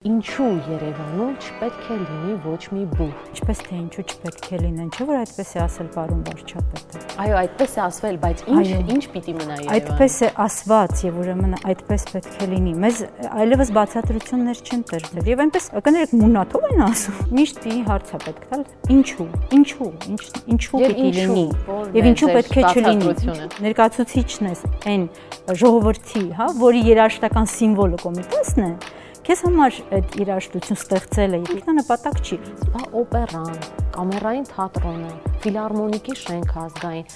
Ինչու Երևանում չպետք է լինի ոչ մի բուհ։ Ինչպես թե ինչու չպետք է լինեն, չէ՞ որ այդպես է ասել պարոն վարչապետը։ Այո, այդպես է ասվել, բայց ինչ պիտի մնա Երևանում։ Այդպես է ասված եւ ուրեմն այդպես պետք է լինի։ Մեզ այլևս բացատրություններ չեն տրվել եւ այնպես կներեք մունաթով են ասում։ Միշտ մի հարց է պետք տալ. ինչու պիտի լինի եւ ինչու պետք է չլինի։ Ներկայացուցիչն է այն ժողովրդի, հա, որի երաժշտական սիմվոլը Կոմիտեսն է։ Քեզ համար այդ երաժշտություն ստեղծելը ինքնանպատակ չի։ Բա օպերան, կամերային թատրոնը, ֆիլհարմոնիկի շենքը ազգային,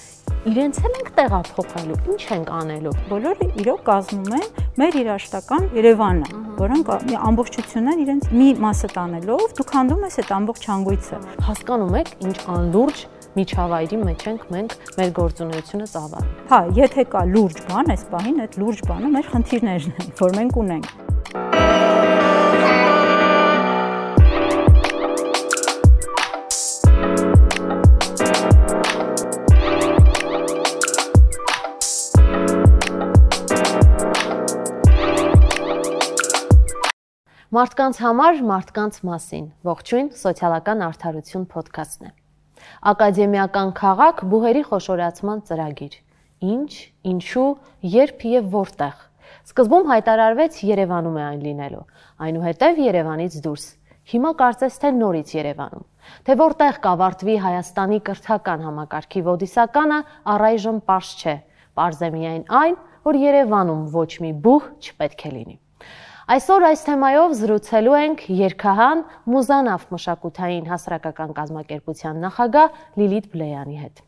իրենց էլ ենք տեղափոխելու, ինչ ենք անելու։ Բոլորը իրոք կազմում են մեր երաժշտական Երևանը, որոնք ամբողջությունն իրենց մի մասը տանելով դուք հանդում ես այդ ամբողջ հանգույցը։ Հասկանում եք, ինչ անլուրջ միջավայրի մեջ ենք մենք մեր գործունեությունը ծավալում։ Հա, եթե կա լուրջ բան, այս պահին այդ լուրջ բանը մեր խնդիրներն են, որ մենք ունենք։ Մարդկանց համար, մարդկանց մասին, ողջույն, սոցիալական արդարություն փոդքասթն է։ Ակադեմիական քաղաք բուհերի խոշորացման ծրագիր։ Ինչ, ինչու, երբ եւ որտեղ։ Սկզբում հայտարարվեց Երևանում է այն լինելու, այնուհետև Երևանից դուրս։ Հիմա կարծես թե նորից Երևանում։ Թե որտեղ կավարտվի Հայաստանի կրթական համակարգի ոդիսականը, առայժմ պարզ չէ։ Պարզ է միայն այն, որ Երևանում ոչ մի բուհ չպետք է լինի։ Այսօր այս թեմայով զրուցելու ենք երգահան Մուզանավ մշակութային հասարակական կազմակերպության նախագահ Լիլիթ Բլեյանի հետ։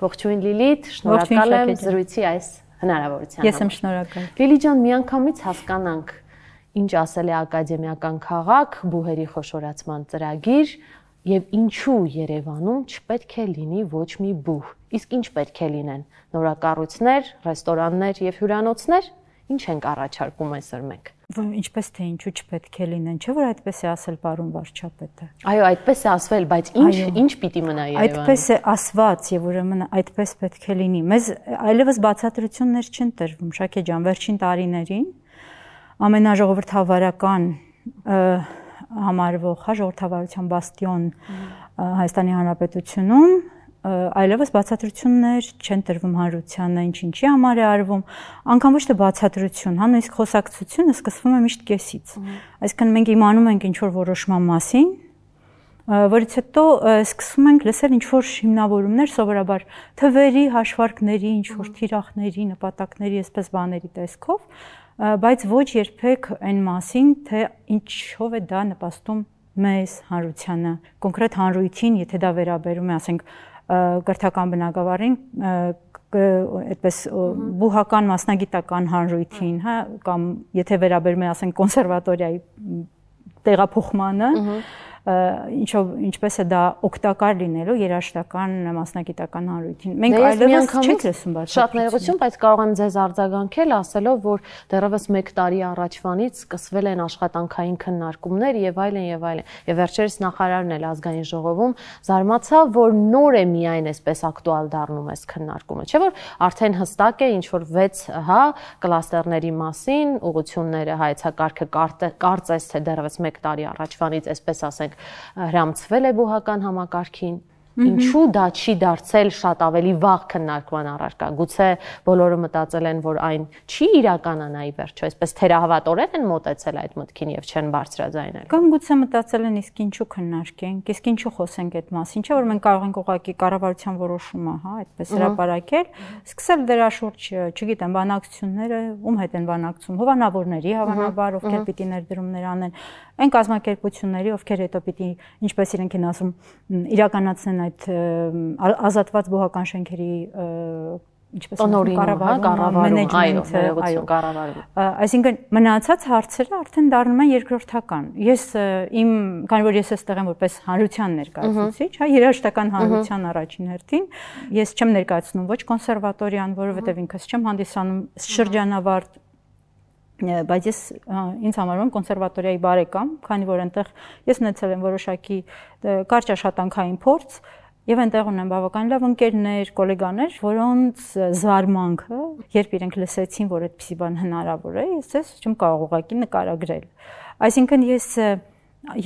Ողջույն Լիլիթ, շնորհակալ եմ զրույցի այս հնարավորության համար։ Ես եմ շնորհակալ։ Լիլիթ ջան, միանգամից հասկանանք, ինչ ասել է ակադեմիական քաղաք, բուհերի խոշորացման ծրագիր եւ ինչու Երևանում չպետք է լինի ոչ մի բուհ։ Իսկ ինչ պետք է լինեն։ Նորակառույցներ, ռեստորաններ եւ հյուրանոցներ։ Ինչ ենք առաջարկում այսօր մենք։ Ինչպես թե ինչու չպետք է լինեն, չէ՞ որ այդպես է ասել պարոն վարչապետը։ Այո, այդպես է ասվել, բայց ինչ պիտի մնա Երևանում։ Այդպես է ասված եւ ուրեմն այդպես պետք է լինի։ Մեզ այլևս բացատրություններ չեն տրվում, Շաքե ջան, վերջին տարիներին ամենաժողովրդավարական համարվող, հա, ժողովրդավարության բաստիոն Հայաստանի Հանրապետությունում այլևս բացատրություններ չեն տրվում հանրությանը, ինչի համար է արվում, անգամ ոչ թե բացատրություն, հա, նույնիսկ խոսակցությունը սկսվում է միշտ կեսից։ Այսինքն մենք իմանում ենք ինչ-որ որոշման մասին, որից հետո սկսում ենք լսել ինչ-որ հիմնավորումներ, սովորաբար թվերի, հաշվարկների, ինչ-որ թիրախների, նպատակների, այսպես բաների տեսքով, բայց ոչ երբեք այն մասին, թե ինչով է դա նպաստում մեզ հանրությանը, կոնկրետ հանրույթին, եթե դա վերաբերում է, ասենք, կրթական բնագավառին, այդպես բուհական մասնագիտական հանրույթին, հա, կամ եթե վերաբերում է, ասենք, կոնսերվատորիայի տեղափոխմանը, ինչպես է դա օգտակար լինելու երաժշտական մասնագիտական հանրույթին։ Մենք այլևս չենք լսում բացատրություն։ Շատ ներողություն, բայց կարող եմ ձեզ արձագանքել, ասելով, որ դեռևս 1 տարի առաջվանից սկսվել են աշխատանքային քննարկումներ եւ այլն եւ այլն։ Եվ վերջերս նախարարն էլ ազգային ժողովում զարմացավ, որ նոր է միայն այսպես ակտուալ դառնում այս քննարկումը, չէ՞ որ արդեն հստակ է ինչ որ 6, հա, կլաստերների մասին, ուղղությունները, հայեցակարգը կարծես թե դեռևս 1 տարի առաջվանից, այսպես ասենք, հրամցվել է բուհական համակարգին։ Ինչու դա չի դարձել շատ ավելի վաղ քննարկման առարկա։ Գուցե բոլորը մտածել են, որ այն չի իրականանա ի վերջո, այսպես թերահավատորեն են մոտեցել այդ մտքին եւ չեն բարձրաձայնել։ Կամ գուցե մտածել են իսկ ինչու քննարկենք, իսկ ինչու խոսենք այդ մասին, չէ՞ որ մենք կարող ենք ուղղակի կառավարության որոշումը, հա, այդպես հրապարակել, սկսել դրա շուրջ, չգիտեմ, բանակցությունները, ում հետ են բանակցում, հովանավորների, հավանաբար, ովքեր պիտի ներդրումներ անեն, այն կազմակերպությունների, ովքեր հետո պիտի, ինչպես իրենք են ասում, իրականացնեն այդ ազատված բուհական շենքերի ինչպես կառավարում, այսինքն մնացած հարցերը արդեն դառնում են երկրորդական։ Ես քանի որ ես այստեղ եմ որպես հանրության ներկայացուցիչ, հա, երաժշտական հանրության առաջին հերթին, ես չեմ ներկայացնում ոչ կոնսերվատորիան, որովհետև ինքս չեմ հանդիսանում շրջանավարտ, բայց ես ինձ համարում եմ կոնսերվատորիայի բարեկամ, քանի որ այնտեղ ես ունեցել եմ որոշակի կարճ աշխատանքային փորձ, Եվ այնտեղ ունեմ բավական լավ ընկերներ, գոլեգաներ, որոնց զարմանքը, երբ իրենք լսեցին, որ այդպիսի բան հնարավոր է, ես չեմ կարող ուղղակի նկարագրել։ Այսինքն ես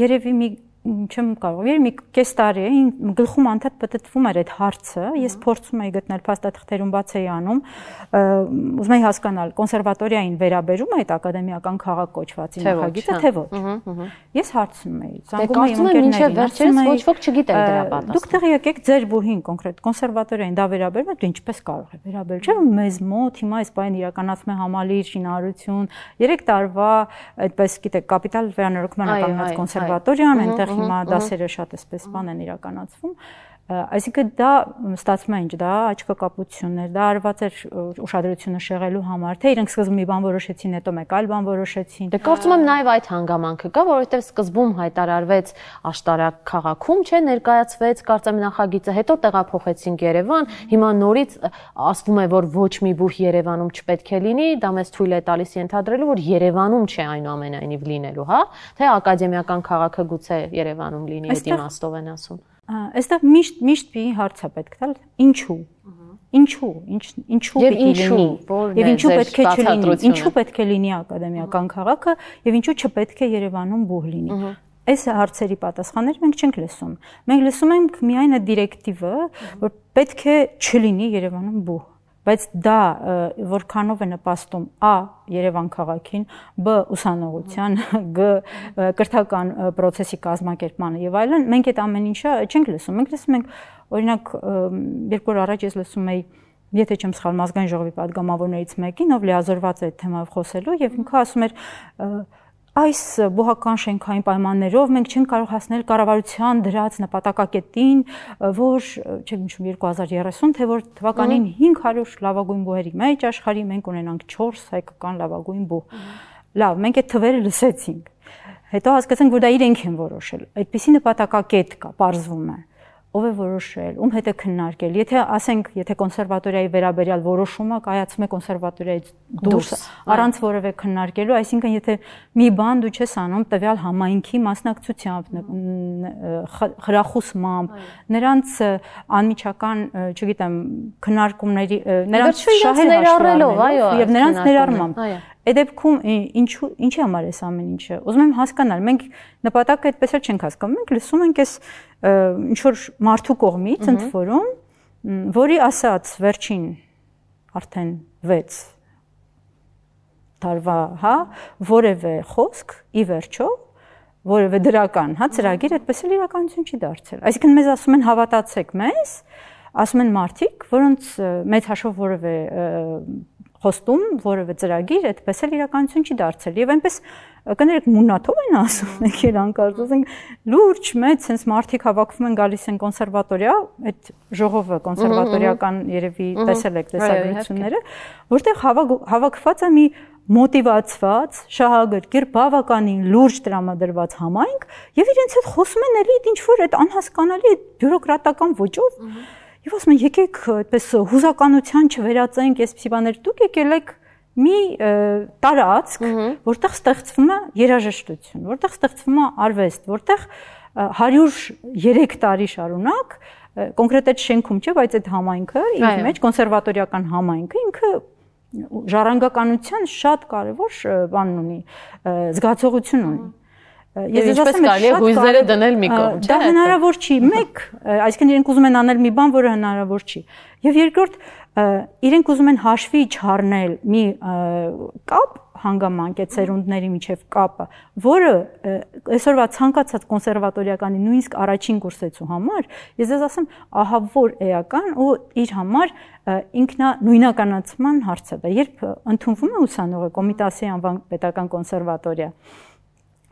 երևի չեմ կարող, մի կես տարի է գլխում անդադ պատտվում էր այդ հարցը, ես փորձում էի գտնել փաստաթղթերում բաց էի անում, ուզում էի հասկանալ կոնսերվատորիային վերաբերում է այդ ակադեմիական քաղաք կոչվածի նախագիծը, թե ոչ։ Ես հարցնում էի, զանգում էի ընկերներին, վերջերս ոչ ոք չգիտեր դրա պատասխանը։ Դուք տեղի եկեք ձեր բուհին կոնկրետ կոնսերվատորիային դա վերաբերում է, դու ինչպես կարող է վերաբերել, չէ՞ մեզ մոտ հիմա այս բանը իրականացում է համալիր, շինարարություն, 3 տարվա այդպես գիտեք կապիտալ վերանորոգման ակամայած կոնսերվատորիան, այնտեղ հիմա դասերը շատ էսպես բան են իրականացվում, այսինքն դա ստացվում է ինչ, դա աչքակապություններ, դա արված էր ուշադրությունը շեղելու համար, թե իրենք սկզբում մի բան որոշեցին, հետո մեկ այլ բան որոշեցին։ Դե կարծում եմ նաև այդ հանգամանքը կա, որովհետև սկզբում հայտարարվեց Աշտարակ քաղաքում, չէ, ներկայացվեց կարծեմ նախագիծը, հետո տեղափոխեցինք Երևան, հիմա նորից ասվում է, որ ոչ մի բուհ Երևանում չպետք է լինի, դա մեզ թույլ է տալիս ենթադրելու, որ Երևանում չէ այնուամենայնիվ լինելու, հա, թե ակադեմիական քաղաքը գուցե Երևանում լինի, այդ իմաստով են ասում։ Այստեղ միշտ մի հարց է պետք տալ, ինչու պիտի լինի եւ ինչու պետք է չլինի, ինչու պետք է լինի ակադեմիական քաղաքը եւ ինչու չպետք է Երևանում բուհ լինի։ Այս հարցերի պատասխաններ մենք չենք լսում։ Մենք լսում ենք միայն այդ դիրեկտիվը, որ պետք է չլինի Երևանում բուհ։ Բայց դա որքանով է նպաստում ա Երևան քաղաքին, բ ուսանողության, գ կրթական process-ի կազմակերպմանը եւ այլն, մենք այդ ամեն ինչը չենք լսում։ Մենք լսում ենք, օրինակ, երկու օր առաջ ես լսում էի, եթե չեմ սխալվում, ազգային ժողովի падգամավորներից մեկին, ով լիազորված է այդ թեմայով խոսելու եւ ինքը ասում էր այս բուհական շենքային պայմաններով մենք չենք կարող հասնել կառավարության դրած նպատակակետին, որ չեմ հիշում 2030, թե որ թվականին 500 լավագույն բուհերի մեջ աշխարհի մենք ունենանք 4 հայկական լավագույն բուհ։ Լավ, մենք այդ թվերը լսեցինք։ Հետո հասկացանք, որ դա իրենք են որոշել։ Այդպիսի նպատակակետ կա, պարզվում է։ Ով է որոշել, ում հետ է քննարկել։ Եթե ասենք, եթե կոնսերվատորիայի վերաբերյալ որոշումը կայացվում է կոնսերվատորիայից դուրս, առանց որևէ քննարկելու, այսինքն եթե մի բան դու չես անում տվյալ համայնքի մասնակցությամբ, խրախուսմամբ, նրանց անմիջական, չգիտեմ, քննարկումների, նրանց ներառելով, այո, եւ նրանց ներառմամբ։ Այդ դեպքում ինչի համար է ամեն ինչը։ Ուզում եմ հասկանալ, մենք նպատակը այդպես էլ չենք հասկանում, մենք լսում ենք այս ինչ որ մարդու կողմից ընդ որում, որի ասած վերջին արդեն 6 տարվա, հա, որևէ խոսք ի վերջո, որևէ դրական, հա, ծրագիր այդպես էլ իրականություն չի դարձել։ Այսինքն մեզ ասում են հավատացեք մեզ, ասում են մարդիկ, որոնց մեծ հաշվով որևէ խոստում, որևէ ծրագիր այդպես էլ իրականություն չի դարձել։ Եվ այնպես կներեք մունաթով են ասում, եք իրանք ասում, լուրջ մեծ sense մարդիկ հավաքվում են գալիս են կոնսերվատորիա, այդ ժողովը կոնսերվատորիական երևի տեսել եք տեսագրությունները, որտեղ հավաքված է մի մոտիվացված, շահագրգիռ, բավականին լուրջ տրամադրված համայնք, եւ իրենց հետ խոսում են էլի ինչ որ այդ անհասկանալի բյուրոկրատական ոճով Եվ ասում են, եկեք այդպես հուզականության չվերածենք, այսպիսի բաներ, դուք եկել եք մի տարածք, որտեղ ստեղծվում է երաժշտություն, որտեղ ստեղծվում է արվեստ, որտեղ 103 տարի շարունակ, կոնկրետ այդ շենքում չէ, բայց այդ համայնքը, իր մեջ կոնսերվատորիական համայնքը ինքը ժառանգականության շատ կարևոր բան ունի, զգացողություն ունի։ Ես ինչպես կարելի է հույզերը դնել մի կողմ, չէ՞։ Դա հնարավոր չի, մեկ, այսինքն իրենք ուզում են անել մի բան, որը հնարավոր չի։ Եվ երկրորդ, իրենք ուզում են հաշվի չառնել մի կապ հանգամանք է ծերունդների միջև կապը, որը այսօրվա ցանկացած կոնսերվատորիականի նույնիսկ առաջին կուրսեցու համար, ես ձեզ ասեմ, ահա որ էական ու իր համար ինքնանույնականացման հարց է դա։ Երբ ընդունվում է ուսանողը Կոմիտասի անվան պետական կոնսերվատորիա,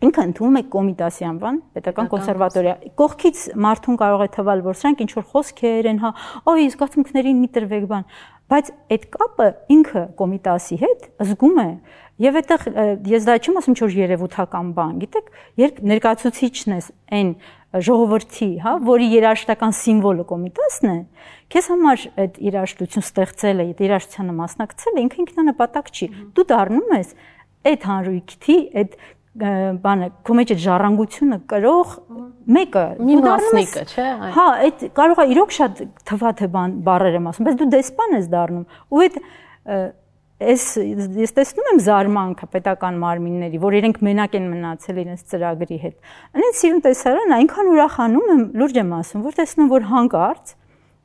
ինքը ընդունում է Կոմիտասի անվան պետական կոնսերվատորիա։ Կողքից մարդուն կարող է թվալ, որ սրանք ինչ որ խոսքեր են, հա, օй, զգացմունքներին մի տրվեք բան, բայց այդ կապը ինքը Կոմիտասի հետ զգում է։ Եվ այդտեղ ես դա չեմ ասում ինչ-որ երևութական բան, գիտեք, երբ ներկայացուցիչն ես այն ժողովրդի, հա, որի երաժշտական սիմվոլը Կոմիտասն է, քեզ համար այդ երաժշտություն ստեղծելը, այդ երաժշտությանը մասնակցելը ինքը ինքնանպատակ չի։ Դու դառնում ես այդ հանրույթի, այդ բանը, քո մեջ այդ ժառանգությունը կրող մեկը մի մասնիկը, չէ՞։ Հա, այդ կարող է իրոք շատ թվա թե բառեր եմ ասում, բայց դու դեսպան ես դառնում ու այդ ես տեսնում եմ զարմանքը պետական մարմինների, որ իրենք մենակ են մնացել իրենց ծրագրի հետ։ Այնց սիրուն տեսարան այնքան ուրախանում եմ, լուրջ եմ ասում, որ տեսնում որ հանկարծ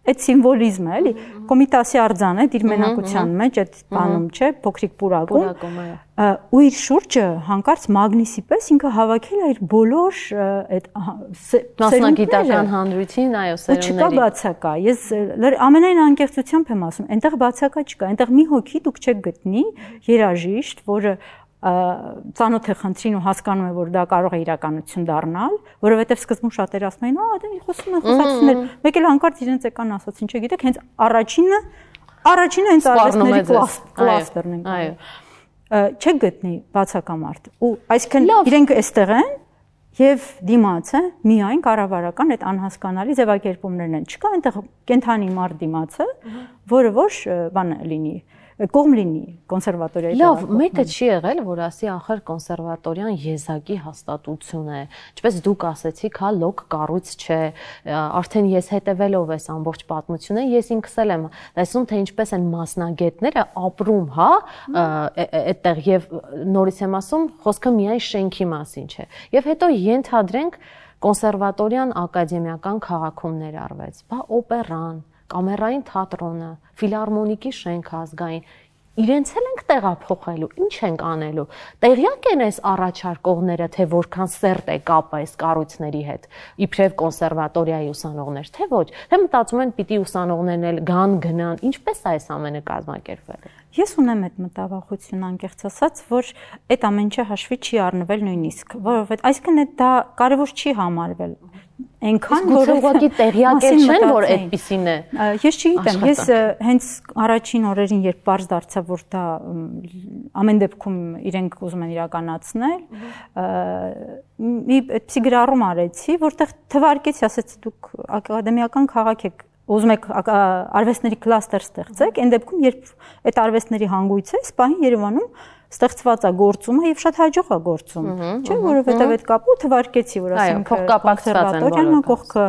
այդ սիմվոլիզմը, էլի, Կոմիտասի արձանը, իր մենակության մեջ այդ բանում, չէ, փոքրիկ պուրակում, ու իր շուրջը հանկարծ մագնիսի պես ինքը հավաքել է իր բոլոր այդ մասնագիտական հանրույթին, այո, սերունդների։ Չկա բացակա։ Ես ամենայն անկեղծությամբ եմ ասում, այնտեղ բացակա չկա, այնտեղ մի հոգի դուք չեք գտնի երաժիշտ, որը ծանոթ է խնդրին ու հասկանում է, որ դա կարող է իրականություն դառնալ, որովհետև սկզբում շատեր ասում էին, դա խոսում են խոսակցություններ, մեկ էլ հանկարծ իրենց եկան ասացին, չգիտեք, հենց առաջինը հենց արվեստների կլաստերն են։ Այո։ Չեք գտնի բացակա մարդ։ Ու այսինքն իրենք այստեղ են եւ դիմացը միայն կառավարական այդ անհասկանալի ձևակերպումներն են։ Չկա այնտեղ կենթանի մարդ դիմացը, որը ոչ բան լինի կողմ լինի կոնսերվատորիայի։ Լավ, մեկը չի եղել, որ ասի ախր կոնսերվատորիան եզակի հաստատություն է։ Ինչպես դուք ասեցիք, հա, լոկ կառույց չէ, արդեն ես հետևելով այս ամբողջ պատմությունը, ես ինքս էլ եմ տեսնում, թե ինչպես են մասնագետները ապրում, հա, այդտեղ եւ նորից եմ ասում, խոսքը միայն շենքի մասին չէ։ Եվ հետո ենթադրենք կոնսերվատորիան ակադեմիական քաղաքում ներառվեց, բա օպերան, կամերային թատրոնը, ֆիլհարմոնիկի շենքը ազգային, իրենց էլ ենք տեղափոխելու, ինչ ենք անելու։ Տեղյակ են այս առաջարկողները, թե որքան սերտ է կապը այս կառույցների հետ, իբրև կոնսերվատորիայի ուսանողներ, թե ոչ։ Թե մտածում են պիտի ուսանողներն էլ գնան, ինչպես է այս ամենը կազմակերպվել։ Ես ունեմ այդ մտավախություն անկեղծ ասած, որ այդ ամեն ինչը հաշվի չի առնվել նույնիսկ, որովհետեւ այսինքն դա կարևոր չի համարվել։ Այնքան որ ուղղակի տեղյակ չեն, որ այդպիսին է։ Ես չգիտեմ, ես հենց առաջին օրերին, երբ բարձ դարձա, որ դա ամեն դեպքում իրենք ուզում են իրականացնել, մի այդպիսի գրառում արեցի, որտեղ թվարկեցի, ասեցի դուք ակադեմիական քաղաք եք, ուզում եք արվեստների կլաստեր ստեղծեք, այն դեպքում, երբ այդ արվեստների հանգույց է, սպահին Երևանում ստեղծված է գործումը եւ շատ հաջող է գործում, չէ՞, որովհետեւ այդ կապը թվարկեցի, որ ասենք կոնսերվատորիան, կողքը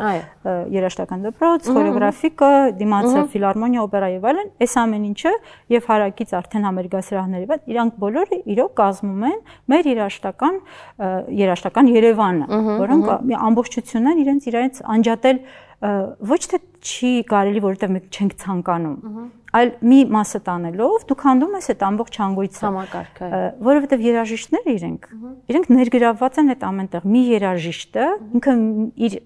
երաժշտական դպրոց, խորեոգրաֆիկը, դիմացը ֆիլհարմոնիա, օպերա եւ այլն, այս ամեն ինչը եւ հարակից արդեն համերգասրահների վրա իրանք բոլորը իրոք կազմում են մեր երաժշտական Երևանը, որոնք ամբողջությունն իրենց անջատել ոչ թե չի կարելի, որովհետև մենք չենք ցանկանում, այլ մի մասը տանելով դուք հանդում ես այդ ամբողջ հանգույցը համակարգը, որովհետև երաժիշտները իրենք ներգրավված են այդ ամենտեղ։ Մի երաժիշտը ինքը իր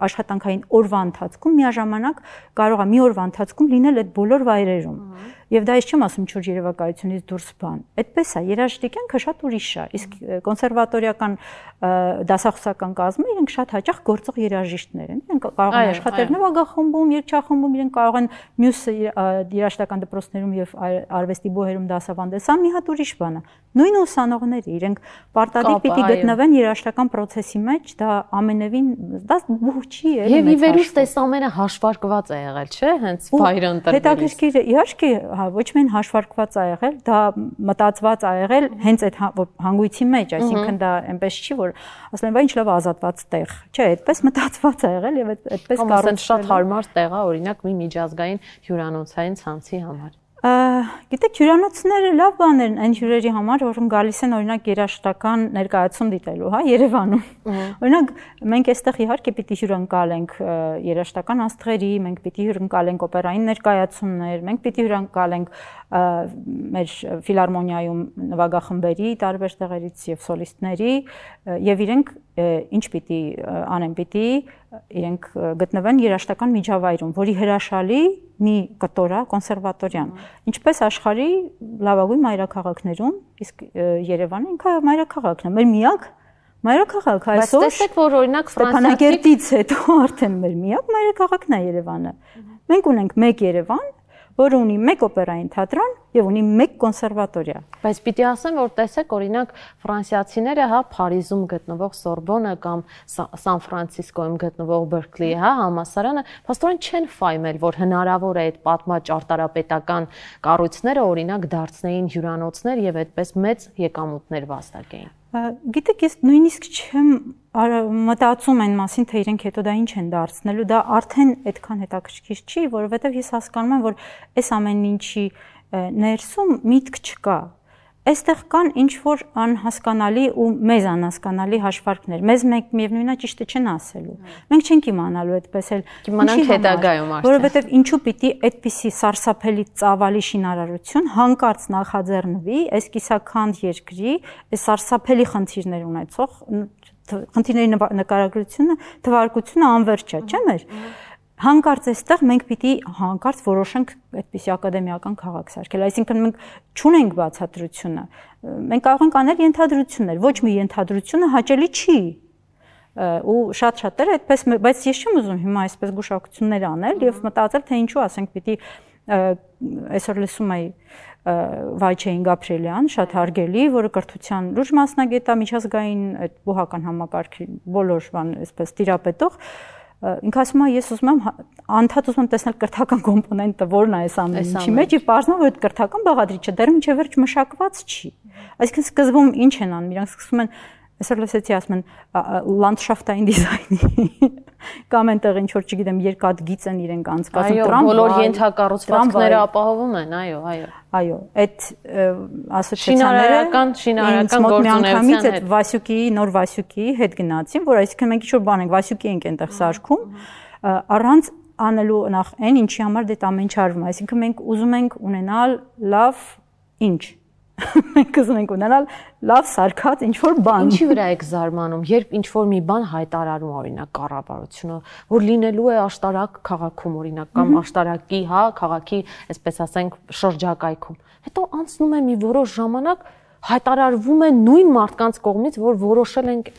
աշխատանքային օրվա ընթացքում միաժամանակ կարող է մի օրվա ընթացքում լինել այդ բոլոր վայրերում։ Եվ դա ես չեմ ասում չոր երևակայությունից դուրս բան։ Այդպես է, երաժշտի կյանքը շատ ուրիշ է։ Իսկ կոնսերվատորիական դասախոսական կազմը իրենք շատ հաճախ գործող երաժիշտներ են։ Իրենք կարող են աշխատել նվագախմբում, երգչախմբում, իրենք կարող են մյուս երաժշտական դպրոցներում եւ արվեստի բոհերում դասավանդել։ Սա մի հատ ուրիշ բան է։ Նույն ուսանողները իրենք պարտադիր պիտի գտնվեն երաժշտական process-ի մեջ, դա ամենևին դա բուհ չի է։ Եվ ի վերուստ այս ամենը հաշվարկված է եղել, չէ՞, հենց վայրը ընտրվելիս։ Հետաքրքիր է, իհարկե, հա, ոչ միայն հաշվարկված է եղել, դա մտածված է եղել հենց այդ հանգույցի մեջ, այսինքն դա այնպես չի, որ ասել են, բա ինչ լավ ազատված տեղ, չէ, այդպես մտածված է եղել եւ այդպես կառուցվել։ Շատ հարմար տեղ է, օրինակ, մի միջազգային հյուրանոցային ցանցի համար։ Գիտեք, հյուրանոցները լավ բաներ են այն հյուրերի համար, որոնք գալիս են օրինակ երաժշտական ներկայացում դիտելու, հա, Երևանում։ Օրինակ մենք այստեղ իհարկե պիտի հյուրընկալենք երաժշտական աստղերի, մենք պիտի հյուրընկալենք օպերային ներկայացումներ, մենք պիտի հյուրընկալենք մեր ֆիլհարմոնիայում նվագախմբերի տարբեր տեղերից եւ սոլիստների եւ իրենք ինչ պիտի անեն, պիտի իրենք գտնվեն երաժշտական միջավայրում, որի հրաշալի մի կտոր է կոնսերվատորիան։ Ինչպես աշխարհի լավագույն մայրաքաղաքներում, իսկ Երևանը ինքը մայրաքաղաքն է, մեր միակ մայրաքաղաք այսօր։ Բայց տեսեք, որ օրինակ Ստեփանակերտից հետո արդեն մեր միակ մայրաքաղաքն է Երևանը։ Մենք ունենք մեկ Երևան, որը ունի մեկ օպերային թատրոն եւ ունի մեկ կոնսերվատորիա։ Բայց պիտի ասեմ, որ տեսեք, օրինակ ֆրանսիացիները, հա, Փարիզում գտնվող Սորբոնը կամ Սան Ֆրանցիսկոյում գտնվող Բերքլի, հա, համալսարանը, փաստորեն չեն ֆայմել, որ հնարավոր է այդ պատմաճարտարապետական կառույցները օրինակ դարձնեին հյուրանոցներ եւ այդպես մեծ եկամուտներ վաստակեին։ Գիտեք, ես նույնիսկ չեմ մտածում են մասին, թե իրենք հետո դա ինչ են դարձնելու, դա արդեն այդքան հետաքրքիր չի, որովհետև ես հասկանում եմ, որ այս ամեն ինչի ներսում միտք չկա։ Այստեղ կան ինչ որ անհասկանալի ու մեզ անհասկանալի հաշվարկներ։ Մեզ միևնույնն է ճիշտը չեն ասելու։ Մենք չենք իմանալու այդպես էլ։ Իմանանք հետագայում արդեն։ Որովհետև ինչու պիտի այդպիսի սարսափելի ծավալի շինարարություն հանկարծ նախաձեռնվի այս կիսաքանդ երկրի, այս սարսափելի խնդիրներ ունեցող խնդիրների նկարագրությունը, թվարկությունը անվերջ է, չէ՞ մեր։ Հանկարծ այստեղ մենք պիտի հանկարծ որոշենք այդպիսի ակադեմիական քաղաք սարքել, այսինքն մենք չունենք բացատրությունը, մենք կարող ենք անել ենթադրություններ, ոչ մի ենթադրությունը հաճելի չի, ու շատ-շատերը այդպես, բայց ես չեմ ուզում հիմա այսպես գուշակություններ անել եւ մտածել, թե ինչու ասենք պիտի այսօր լսում էի Վայչեին Գաբրիելյան, շատ հարգելի, որը կրթության լուրջ մասնագետ է, միջազգային այդ բուհական համակարգի բոլոր բան այսպես տիրապետող, ինքը ասում է, ես ուզում եմ անդադ ուզում եմ տեսնել կրթական կոմպոնենտը, որն է այս ամեն ինչի մեջ, եւ պարզվում է, որ այդ կրթական բաղադրիչը դեռ մինչեւ վերջ մշակված չի։ Այսինքն սկզբում ինչ են անում, իրանք սկսում են, այսօր լսեցի ասում են լանդշաֆտային դիզայնի կամ այնտեղ ինչ որ չգիտեմ երկաթգիծ են իրենք անցկացնում տրամվայ, բոլոր ենթակառուցվածքները ապահովում են, այո, այդ ասոցիացիաները շինարարական գործունեության հետ Վասյուկիի նոր Վասյուկիի հետ գնացին, որ այսինքն մենք ինչ որ բան ենք Վասյուկի ենք այնտեղ սարքում, առանց անելու նախ այն ինչի համար դա ամեն ինչ արվում է, այսինքն մենք ուզում ենք ունենալ լավ ինչ մենք ուզում ենք ունենալ լավ սարքած ինչ-որ բան։ Ինչի վրա եք զարմանում, երբ ինչ-որ մի բան հայտարարում օրինակ կառավարությունը, որ լինելու է աշտարակ քաղաքում օրինակ կամ աշտարակի, քաղաքի, այսպես ասենք, շրջակայքում։ Հետո անցնում է մի որոշ ժամանակ, հայտարարվում է նույն մարդկանց կողմից, որ որոշել ենք,